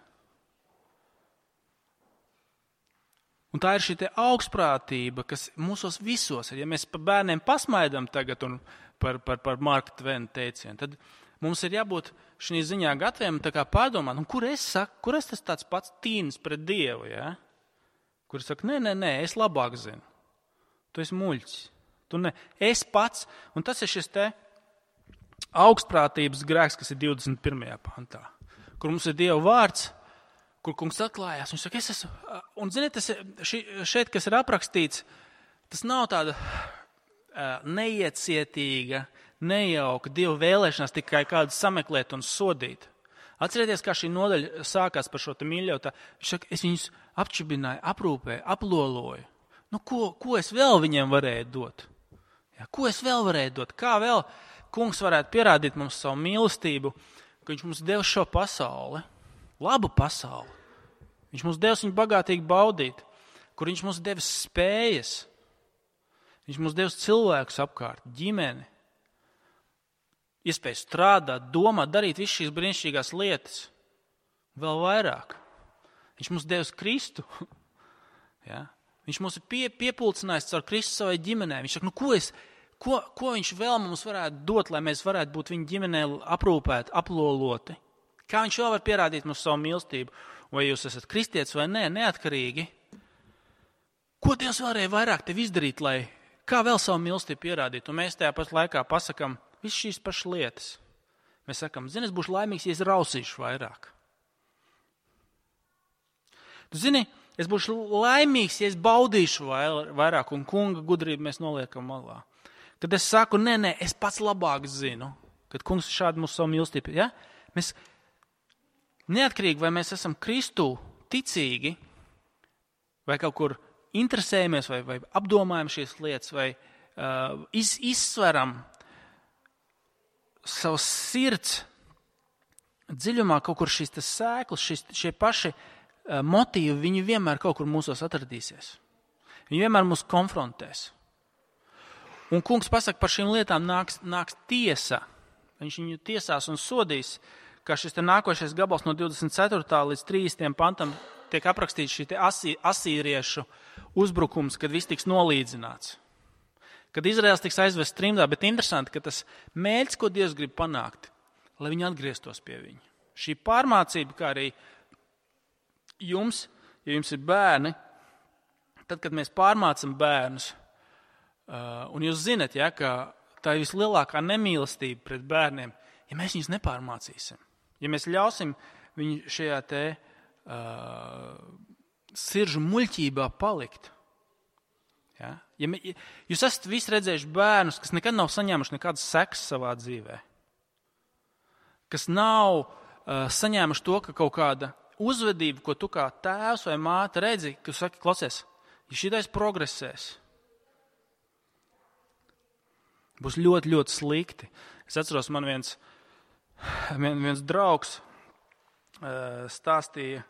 Un tā ir šī te augstprātība, kas mūsos visos ir. Ja mēs par bērniem pasmaidam tagad un par, par, par Marka Tvena teicienu, tad mums ir jābūt šī ziņā gataviem tā kā pārdomāt, un kur es saku, kur es tas tāds pats tīnis pret Dievu, ja? Kur es saku, nē, nē, nē, es labāk zinu. Tu esi muļķis. Tu ne, es pats, un tas ir šis te augstprātības grēks, kas ir divdesmit pirmajā pantā, kur mums ir Dieva vārds, kur kungs atklājās. Viņš saka, es esmu, un ziniet, tas ši, šeit, kas ir aprakstīts, tas nav tāda uh, neiecietīga, nejauka Dieva vēlēšanās tikai kādu sameklēt un sodīt. Atcerieties, kā šī nodaļa sākās par šo te mīļotā. Viņš saka, es viņus apčibināju, aprūpēju, aploloju. Nu, ko, ko es vēl viņiem varēju dot? Ja, ko es vēl varēju dot? Kā vēl kungs varētu pierādīt mums savu mīlestību, ka viņš mums deva šo pasauli, labu pasauli. Viņš mums devis viņu bagātīgi baudīt, kur viņš mums devis spējas. Viņš mums devis cilvēkus apkārt, ģimeni. iespēju strādāt, domāt, darīt visas šīs brīnišķīgās lietas. Vēl vairāk. Viņš mums devis Kristu. Ja? Viņš mums ir pie, piepulcinājis caur Kristu savai ģimenei. Viņš saka, nu ko, es, ko, ko viņš vēl mums varētu dot, lai mēs varētu būt viņa ģimenē aprūpēti, aploloti? Kā viņš vēl var pierādīt mums savu mīlestību? Vai jūs esat kristietis vai nē, neatkarīgi? Ko Dievs varēja vairāk tev izdarīt, lai kā vēl savu mīlestību pierādīt? Un mēs tajā pat laikā pasakam visas šīs pašas lietas. Mēs sakam, zini, es būšu laimīgs, ja es rausīšu vairāk. Tu zini, es būšu laimīgs, ja es baudīšu vairāk, un kunga gudrību mēs noliekam malā. Kad es saku, nē, nē, es pats labāk zinu, kad kungs šādi mūsu savu mīlestību, ja? Mēs neatkarīgi, vai mēs esam Kristū ticīgi, vai kaut kur interesējamies, vai, vai apdomājam šīs lietas, vai uh, iz, izsveram savas sirds dziļumā kaut kur šīs tas sēklas, šis, šie paši uh, motīvi, viņi vienmēr kaut kur mūsos atradīsies. Viņi vienmēr mūs konfrontēs. Un kungs pasaka, par šīm lietām nāks, nāks tiesa. Viņš viņu tiesās un sodīs, kā šis te nākošais gabals no divdesmit ceturtā līdz trīsdesmitajam pantam tiek aprakstīts šī te asī, asīriešu uzbrukums, kad viss tiks nolīdzināts. Kad Izraels tiks aizvests trimdā, bet interesanti, ka tas mērķis, ko Dievs grib panākt, lai viņi atgrieztos pie viņa. Šī pārmācība, kā arī jums, ja jums ir bērni, tad, kad mēs pārmācam bērnus, uh, un jūs zinat, ja, ka tā ir vislielākā nemīlestība pret bērniem, ja mēs viņus nepārmācīsim. Ja mēs ļausim viņu šajā te uh, siržu muļķībā palikt. Ja? Ja me, ja, jūs esat visi redzējuši bērnus, kas nekad nav saņēmuši nekādas sekas savā dzīvē. Kas nav uh, saņēmuši to, ka kaut kāda uzvedība, ko tu kā tēvs vai māte redzi, ka tu saki, klausies, ja šitais progresēs, būs ļoti, ļoti slikti. Es atceros, man viens Viens draugs uh, stāstīja,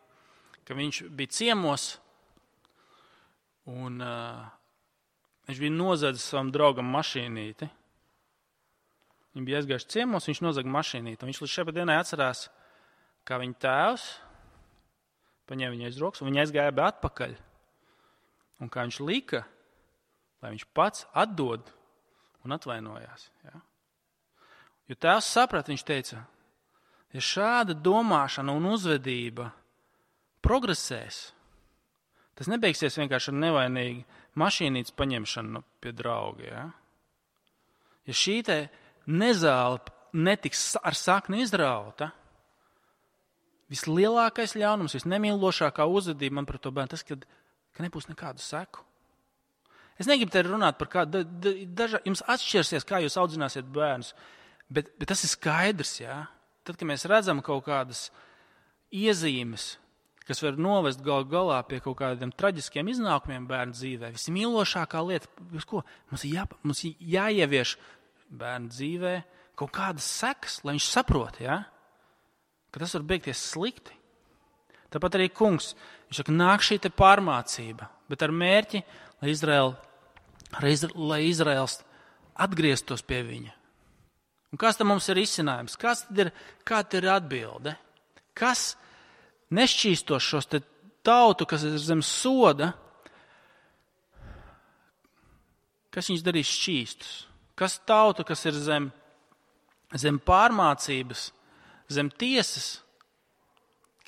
ka viņš bija ciemos un uh, viņš bija nozadzis savam draugam mašīnīti. Viņi bija aizgājuši ciemos, viņš nozaga mašīnīti. Viņš līdz šai dienai atcerās, kā viņa tēvs paņēma viņu aiz rokas un viņa aizgāja be atpakaļ. Un kā viņš lika, lai viņš pats atdod un atvainojās. Ja? Jo tēvs saprat, viņš teica, ja šāda domāšana un uzvedība progresēs, tas nebeigsies vienkārši ar nevainīgu mašīnītes paņemšanu pie drauga. Ja, ja šī te nezāle netiks ar sakni izrauta, vislielākais ļaunums, visnemīlošākā uzvedība man par to bērnu, tas, kad, ka nebūs nekādu seku. Es negribu te runāt par kādu, da, dažā, jums atšķirsies, kā jūs audzināsiet bērnus. Bet, bet tas ir skaidrs, jā. Tad, kad mēs redzam kaut kādas iezīmes, kas var novest gal galā pie kaut kādiem traģiskiem iznākumiem bērnu dzīvē, vismīlošākā lieta, ko? Mums ir jā, mums jāievieš bērnu dzīvē kaut kādas sekas, lai viņš saprot, jā, ka tas var beigties slikti. Tāpat arī kungs, viņš saka, nāk šī te pārmācība, bet ar mērķi, lai, Izrael, lai Izraels atgrieztos pie viņa. Un kas tam mums ir izcinājums? Kas tad ir, kāda ir atbilde? Kas nešķīstos šos te tautu, kas ir zem soda, kas viņus darīs šķīstus? Kas tautu, kas ir zem, zem pārmācības, zem tiesas,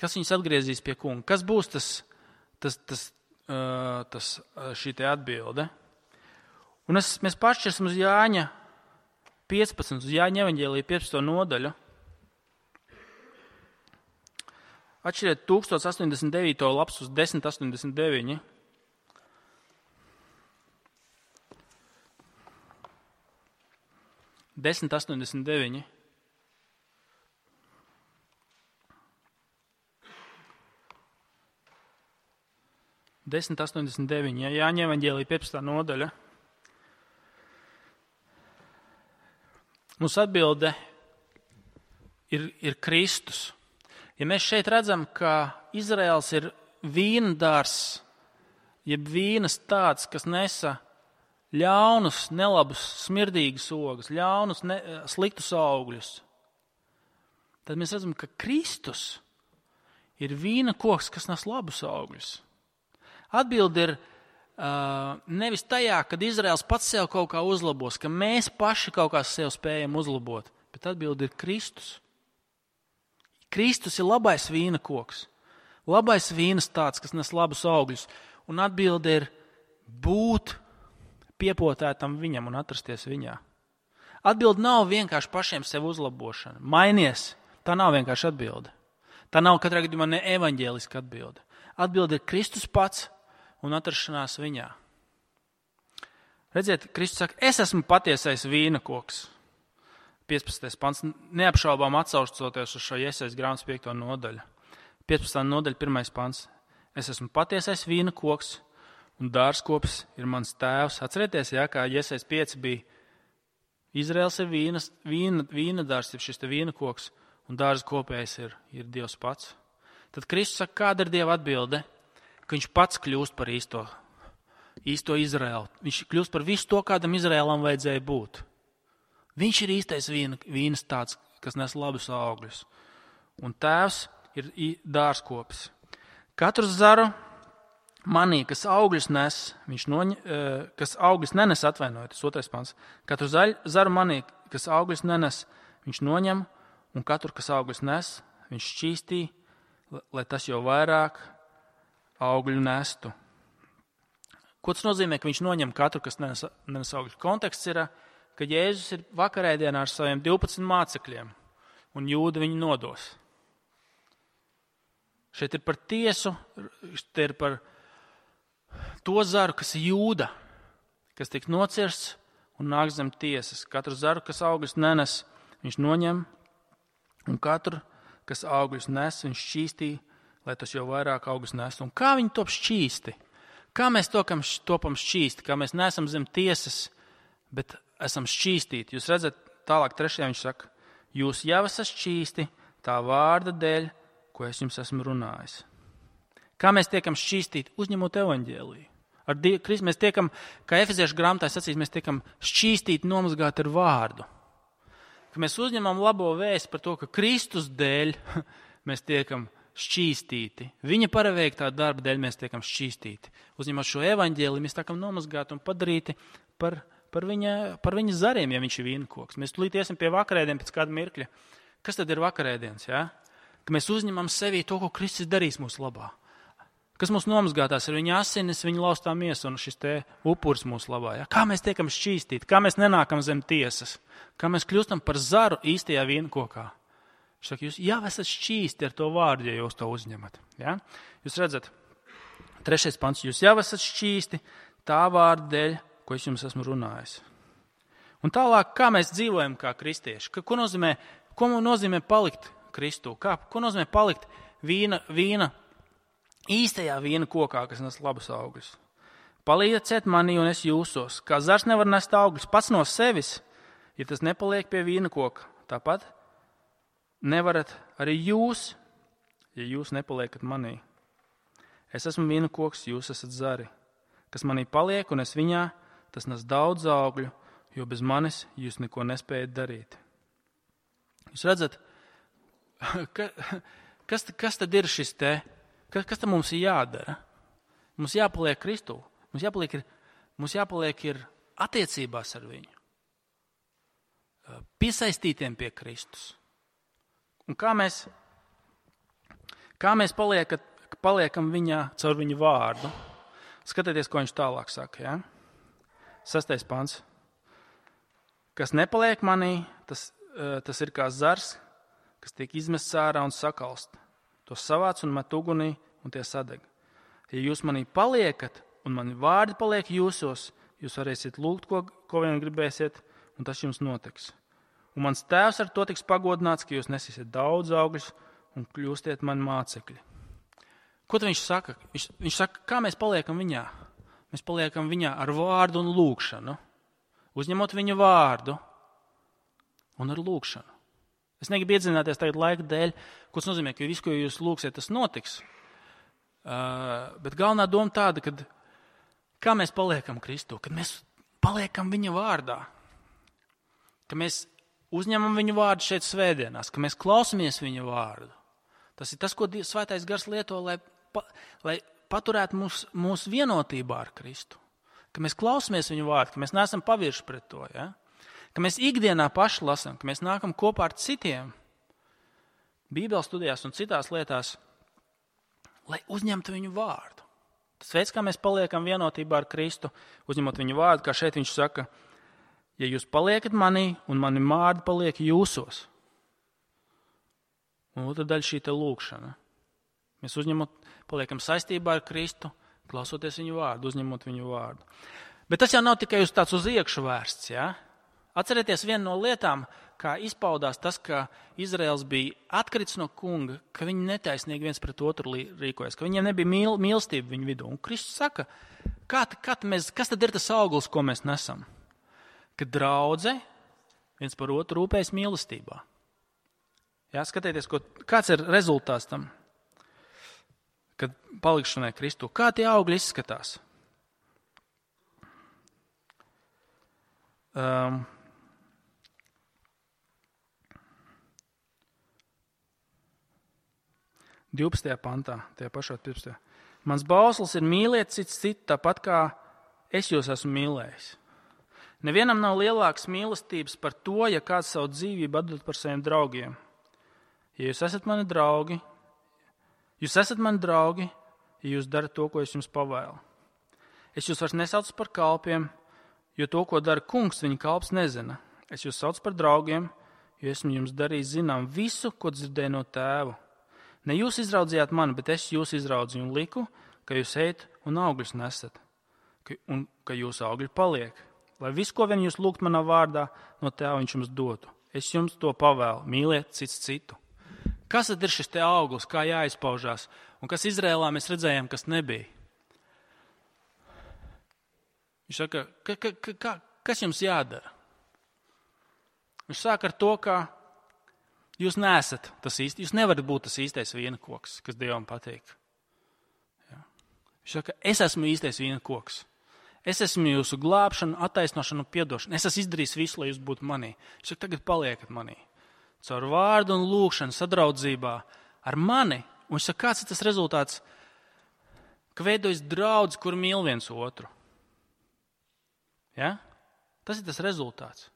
kas viņus atgriezīs pie kunga? Kas būs tas, tas, tas, uh, tas šī te atbilde? Un es, mēs pašķirsim uz Jāņa piecpadsmit, uz Jāņa evaņģēlija piecpadsmito nodaļu. Atšķiriet tūkstoš astoņdesmit devīto lapas uz desmit astoņdesmit deviņi. desmit astoņdesmit deviņi. desmit astoņdesmit deviņi. Ja, Jāņa evaņģēlija piecpadsmitā nodaļa. Mūsu atbilde ir, ir Kristus. Ja mēs šeit redzam, ka Izraels ir vīna dārs, jeb vīnas tāds, kas nesa ļaunus, nelabus, smirdīgus ogus, ļaunus, ne, sliktus augļus, tad mēs redzam, ka Kristus ir vīna koks, kas nes labus augļus. Atbilde ir uh, nevis tajā, kad Izraels pats sev kaut kā uzlabos, ka mēs paši kaut kā sev spējam uzlabot, bet atbilde ir Kristus. Kristus ir labais vīna koks, labais vīnas tāds, kas nes labus augļus, un atbilde ir būt piepotētam viņam un atrasties viņā. Atbilde nav vienkārši pašiem sev uzlabošana. Mainies, tā nav vienkārši atbilde. Tā nav katrā gadījumā ne evaņģēliska atbilde. Atbilde ir Kristus pats un atrašanās viņā. Redziet, Kristus saka, es esmu patiesais vīna koks. piecpadsmitais pants, neapšaubām atsaucoties uz šo Jesajas grāmatas piekto nodaļu. piecpadsmitā nodaļa, pirmais pants. Es esmu patiesais vīna koks un dārzkops ir mans tēvs. Atcerieties, jā, kā Jesajas pieci bija. Izraels ir vīnas, vīna, vīna dārs, šis te vīna koks, un dārza kopējs ir, ir Dievs pats. Tad Kristus saka, kāda ir Dieva atbilde? Ka viņš pats kļūst par īsto, īsto Izraelu. Viņš kļūst par visu to, kādam Izraēlam vajadzēja būt. Viņš ir īstais vīna, vīnas tāds, kas nes labus augļus. Un tēvs ir dārzkopis. Katru zaru manī, kas augļus nes, viņš noņ, kas augļus nenes, atvainojiet, tas otrais pants. Katru zaru manī, kas augļus nenes, viņš noņem, un katru, kas augļus nes, viņš šķīstī, lai tas jau vairāk augļu nestu. Ko tas nozīmē, ka viņš noņem katru, kas nenes, nenes augļus? Konteksts ir, ka Jēzus ir vakarēdienā ar saviem divpadsmit mācekļiem, un Jūda viņu nodos. Šeit ir par tiesu, šeit ir par to zaru, kas ir Jūda, kas tiek nocirsts un nāk zem tiesas. Katru zaru, kas augļus nenes, viņš noņem, un katru, kas augļus nes, viņš šķīstī, lai tas jau vairāk augļus nes. Un kā viņi top šķīsti? Kā mēs topam, topam šķīsti? Kā mēs neesam zem tiesas, bet esam šķīstīti. Jūs redzat, tālāk trešajā viņš saka, jūs jau esat šķīsti tā vārda dēļ, ko es jums esmu runājis. Kā mēs tiekam šķīstīti? Uzņemot evaņģēliju. Ar die, mēs tiekam, kā Efeziešu grāmatā sacīs, mēs tiekam šķīstīti, nomazgāti ar vārdu. Ka mēs uzņemam labo vēsti par to, ka Kristus dēļ mēs tiekam šķīstīti. Viņa paraveiktā darba dēļ mēs tiekam šķīstīti. Uzņemot šo evaņģēliju, mēs tiekam nomazgāti un padarīti par Par viņa, par viņa zariem, ja viņš ir vīnkoks. Mēs tulīt iesim pie vakarēdien pēc kāda mirkļa. Kas tad ir vakarēdienas? Ja? Ka mēs uzņemam sevī to, ko Kristus darīs mūsu labā. Kas mūs nomazgātās ar viņa asinis, viņa laustā miesa un šis te upuris mūsu labā. Ja? Kā mēs tiekam šķīstīti, kā mēs nenākam zem tiesas, kā mēs kļūstam par zaru īstajā vīnkokā. Viņš saka, jūs jau esat šķīsti ar to vārdu, ja jūs to uzņemat. Ja? Jūs redzat, trešais pants, jūs jau esat šķīsti tā vārda dēļ, ko es jums esmu runājis. Un tālāk, kā mēs dzīvojam kā kristieši? Ka, ko, nozīmē, ko nozīmē palikt Kristū? Kā, ko nozīmē palikt vīna, vīna, īstajā vīna kokā, kas nes labus augļus? Palieciet manī un es jūsos. Kā zars nevar nest augļus pats no sevis, ja tas nepaliek pie vīna koka. Tāpat nevarat arī jūs, ja jūs nepaliekat manī. Es esmu vīna koks, jūs esat zari. Kas manī paliek un es viņā, tas nes daudz augļu, jo bez manis jūs neko nespējat darīt. Jūs redzat, ka, kas, kas tad ir šis te? Kas, kas tad mums ir jādara? Mums jāpaliek Kristū. Mums jāpaliek, ir, mums jāpaliek ir attiecībās ar viņu. Piesaistītiem pie Kristus. Un kā mēs, kā mēs paliekat, paliekam viņā caur viņu vārdu? Skatieties, ko viņš tālāk saka. Ja? Sastais pants. Kas nepaliek manī, tas, tas ir kā zars, kas tiek izmests ārā un sakalst. To savāc un met ugunī un tie sadeg. Ja jūs manī paliekat un mani vārdi paliek jūsos, jūs varēsiet lūgt, ko, ko vien gribēsiet, un tas jums notiks. Un mans tēvs ar to tiks pagodināts, ka jūs nesīsiet daudz augļus un kļūstiet mani mācekļi. Ko tad viņš saka? Viņš, viņš saka, kā mēs paliekam viņā? Mēs paliekam viņā ar vārdu un lūgšanu. Uzņemot viņa vārdu un ar lūgšanu. Es negribu iedzināties tagad laika dēļ, ko tas nozīmē, ka visu, ko jūs lūgsiet, tas notiks. Uh, bet galvenā doma tāda, kad kā mēs paliekam Kristū, kad mēs paliekam viņa vārdā, ka mēs uzņemam viņu vārdu šeit svētdienās, ka mēs klausamies viņa vārdu. Tas ir tas, ko Svētais Gars lieto, lai, pa, lai paturētu mūs, mūsu vienotībā ar Kristu. Ka mēs klausamies viņu vārdu, ka mēs neesam pavirši pret to. Ja? Ka mēs ikdienā paši lasam, ka mēs nākam kopā ar citiem Bībeles studijās un citās lietās, lai uzņemtu viņu vārdu. Tas veids, kā mēs paliekam vienotībā ar Kristu, uzņemot viņu vārdu, kā šeit viņš saka, ja jūs paliekat manī un mani vārdi paliek jūsos. Un otra daļa šī te lūkšana. Mēs uzņemot, paliekam saistībā ar Kristu, klausoties viņu vārdu, uzņemot viņu vārdu. Bet tas jau nav tikai uz tāds uz iekšu vērsts, ja? Atcerieties vienu no lietām, kā izpaudās tas, ka Izraels bija atkrits no kunga, ka viņi netaisnīgi viens pret otru rīkojas, ka viņiem nebija mīl, mīlestība viņu vidū. Un Kristus saka, kā, kā mēs, kas tad ir tas auglis, ko mēs nesam? Ka draudze viens par otru rūpējas mīlestībā. Jā, skatieties, ko, kāds ir rezultāts tam, kad palikšanai Kristu. Kā tie augļi izskatās? Um, divpadsmitajā pantā, tajā pašā divpadsmitajā. Mans bauslis ir mīliet cits citu, tāpat kā es jūs esmu mīlējis. Nevienam nav lielākas mīlestības par to, ja kāds savu dzīvību atdod par saviem draugiem. Ja jūs esat mani draugi, jūs esat mani draugi, ja jūs darat to, ko es jums pavēlu. Es jūs vairs nesaucu par kalpiem, jo to, ko dara kungs, viņa kalps nezina. Es jūs saucu par draugiem, jo esmu jums darījis zinām visu, ko dzirdēju no tēva. Ne jūs izraudzījāt mani, bet es jūs izraudzīju un liku, ka jūs ejat un augļus nesat, un ka jūsu augļi paliek. Lai visu, ko vien jūs lūgt manā vārdā, no tēva viņš jums dotu. Es jums to pavēlu, mīliet cits citu. Kas tad ir šis te auglis, kā jāizpaužās, un kas Izrēlā mēs redzējām, kas nebija? Viņš saka, ka, ka, ka, ka, kas jums jādara? Viņš sāk ar to, ka jūs neesat tas īsti, jūs nevarat būt tas īstais vienkoks, kas Dievam patīk. Ja. Viņš saka, es esmu īstais vienkoks. Es esmu jūsu glābšana, attaisnošana un piedošana. Es esmu izdarījis visu, lai jūs būtu manī. Viņš saka, tagad paliekat manī. Caur vārdu un lūkšanu, sadraudzībā ar mani. Un viņš saka, kāds ir tas rezultāts? Ka veidojas draudz, kur mīl viens otru. Ja? Tas ir tas rezultāts.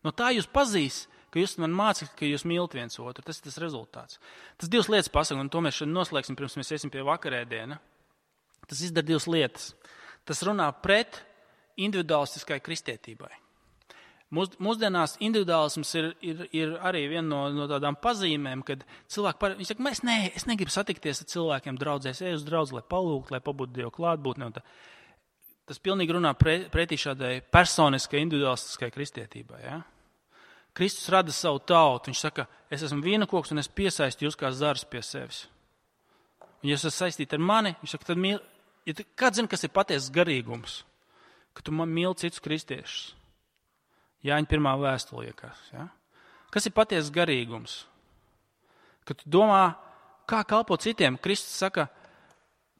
No tā jūs pazīs, ka jūs man mācāt, ka jūs mīlat viens otru. Tas ir tas rezultāts. Tas divas lietas pasaka, un to mēs šodien noslēgsim, pirms mēs iesim pie vakarēdiena. Tas izdara divas lietas. Tas runā pret individualistiskai kristietībai. Mūs, mūsdienās individuālisms ir, ir, ir arī viena no, no tādām pazīmēm, kad cilvēki par, viņi saka, es, ne, es negribu satikties ar cilvēkiem draudzēs, ej uz draudzi, lai palūgt, lai pabūtu Dievu klātbūtni. Tas pilnīgi runā pre, pretī šādai personiskai, individualistiskai kristietībai. Ja? Kristus rada savu tautu, viņš saka, es esmu vienakoks un es piesaistu jūs kā zars pie sevis. Un ja jūs esat saistīti ar mani, viņš saka, tad mīl, ja tu, kāds zina, kas ir patiesas garīgums? Ka tu man mīli citus kristiešus. Jāņa pirmā vēstule liekas. Ja? Kas ir patiesas garīgums? Kad tu domā, kā kalpot citiem, Kristus saka,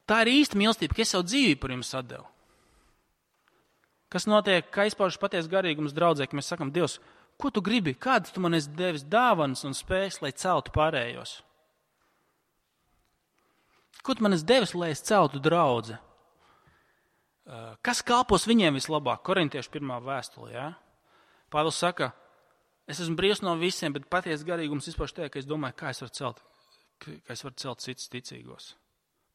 tā ir īsta mīlestība, ka es savu dzīvību par jums atdevu. Kas notiek, kā izpaužas patiesas garīgums draudzē, ka mēs sakam, Dievs, ko tu gribi? Kādas tu man esi devis dāvanas un spējas, lai celtu pārējos? Ko tu man esi devis, lai es celtu draudzi? Kas kalpos viņiem vislabāk? Korintiešu pirmā vēstule, jā? Ja? Pāvils saka, es esmu brīvs no visiem, bet patiesas garīgums izpauž tajā, ka es domāju, kā es varu celt, kā es varu celt citus ticīgos.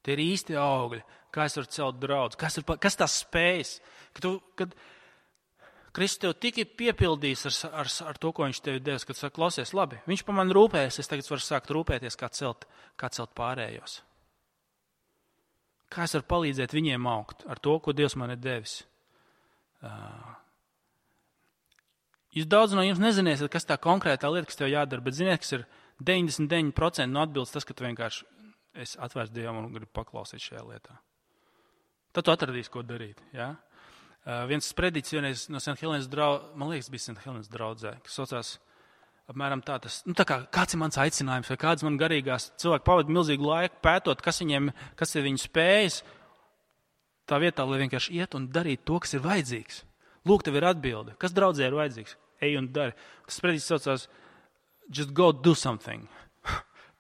Tie ir īsti augļi, kā es varu celt draudzi, kas, ir, kas tās spējas. Kad, tu, kad Kristus tev tik ir piepildījis ar, ar, ar to, ko viņš tev devis, kad saka, klausies, labi, viņš pa mani rūpējas, es tagad varu sākt rūpēties, kā celt, kā celt pārējos. Kā es varu palīdzēt viņiem augt ar to, ko Dievs man ir devis. Uh, Jūs daudz no jums neziniesiet, kas tā konkrētā lieta, kas tev jādara, bet ziniet, kas ir deviņdesmit deviņi procenti no atbildes tas, ka tu vienkārši esi atvērts Dievam un gribi paklausīt šajā lietā. Tad tu atradīsi, ko darīt. Ja? Uh, viens sprediķis vienreiz no Saint Helenas draudzē, man liekas, bija Saint Helenas draudzē, kas saucās apmēram tā, tas, nu tā kā kāds ir mans aicinājums vai kāds man garīgās cilvēki pavada milzīgu laiku pētot, kas viņiem, kas ir viņu spējas, tā vietā, lai vienkārši iet un darīt to, kas ir vajadzīgs. Lūk, tev ir atbilde. Kas draudzē ir vajadzīgs? Ej un dari. Tas predīgs saucās just go do something.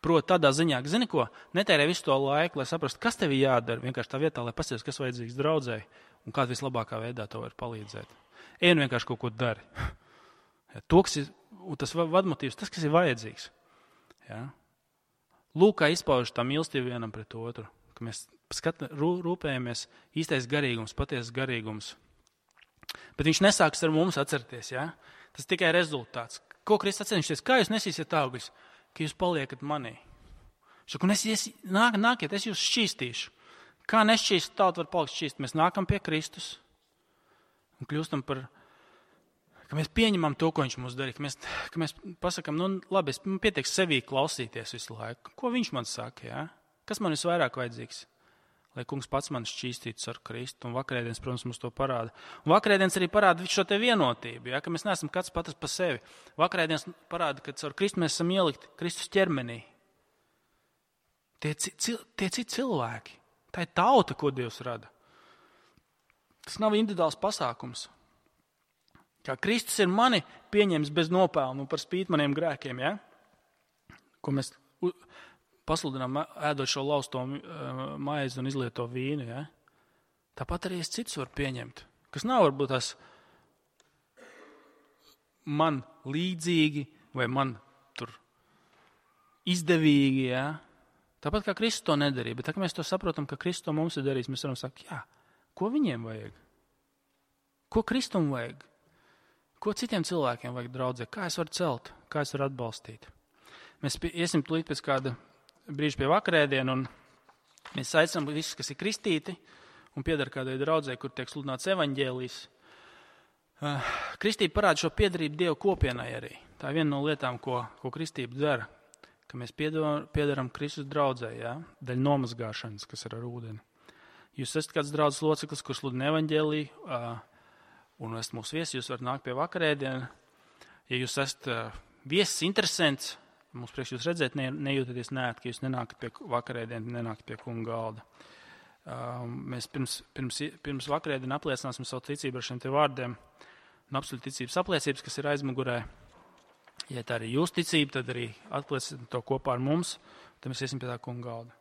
Proti tādā ziņā, zini ko, netērē visu to laiku, lai saprastu, kas tev ir jādara. Vienkārši tā vietā, lai pasties, kas vajadzīgs draudzēji un kādā vislabākā veidā to var palīdzēt. Ej un vienkārši kaut ko dari. Ja, to, kas ir, tas vadmotīvs, tas, kas ir vajadzīgs. Ja. Lūk, kā izpauž tā mīlestība vienam pret otru. Ka mēs skat, rū, rūpējamies īstais garīgums, patiesas garīgums. Bet viņš nesāks ar mums atcerties, ja? Tas tikai rezultāts. Ko Kristus atcerīsies? Kā jūs nesīsiet augļus? Ka jūs paliekat manī. Šaku, nesies, nāk, nākiet, es jūs šķīstīšu. Kā nešķīst, tauta var palikt šķīst. Mēs nākam pie Kristus un kļūstam par, ka mēs pieņemam to, ko viņš mums darīja. Ka mēs, ka mēs pasakam, nu labi, es pietiek sevī klausīties visu laiku. Ko viņš man saka, ja? Kas man visvairāk vajadzīgs? Lai kungs pats man šķīstītu ar Kristu. Un vakarēdienas, protams, mums to parāda. Un vakarēdienas arī parāda šo te vienotību, ja? Ka mēs neesam katrs pats pa sevi. Vakarēdienas parāda, ka ar Kristu mēs esam ielikti Kristus ķermenī. Tie, tie citi cilvēki. Tā ir tauta, ko Dievs rada. Tas nav individuāls pasākums. Kā Kristus ir mani pieņems bez nopelnu par spīti maniem grēkiem, ja? Ko mēs pasludinām, ēdot šo lausto maizi un izlieto vīnu. Ja? Tāpat arī es citus varu pieņemt, kas nav varbūt tās man līdzīgi vai man tur izdevīgi. Ja? Tāpat kā Kristus to nedarīja, bet tā kā mēs to saprotam, ka Kristus to mums ir darījis, mēs varam sakt, jā, ko viņiem vajag? Ko Kristum vajag? Ko citiem cilvēkiem vajag draudzē? Kā es varu celt? Kā es varu atbalstīt? Mēs iesim tūlīt pēc kāda brīži pie vakarēdienu, un mēs aicinām visus, kas ir kristīti un piedara kādai draudzē, kur tiek sludināts evaņģēlijs. Kristība parāda šo piedarību Dievu kopienai arī. Tā ir viena no lietām, ko, ko kristība dara, ka mēs piedaram Kristus draudzē, ja? Daļa nomazgāšanas, kas ir ar ūdeni. Jūs esat kāds draudzes loceklis, kurš sludina evaņģēliju, un esat mūsu viesi, jūs varat nākt pie vakarēdienu. Ja jūs esat viesis interesants, mums priekš jūs redzēt, ne, nejūtaties nēt, ka jūs nenākat pie vakarēdienu, nenākat pie kunga galda. Uh, mēs pirms, pirms, pirms vakarēdienu apliecināsim savu ticību ar šiem te vārdiem un absolūti ticības apliecības, kas ir aizmugurē. Ja tā arī jūs ticība, tad arī aplieciniet to kopā ar mums, tad mēs iesim pie tā kunga galda.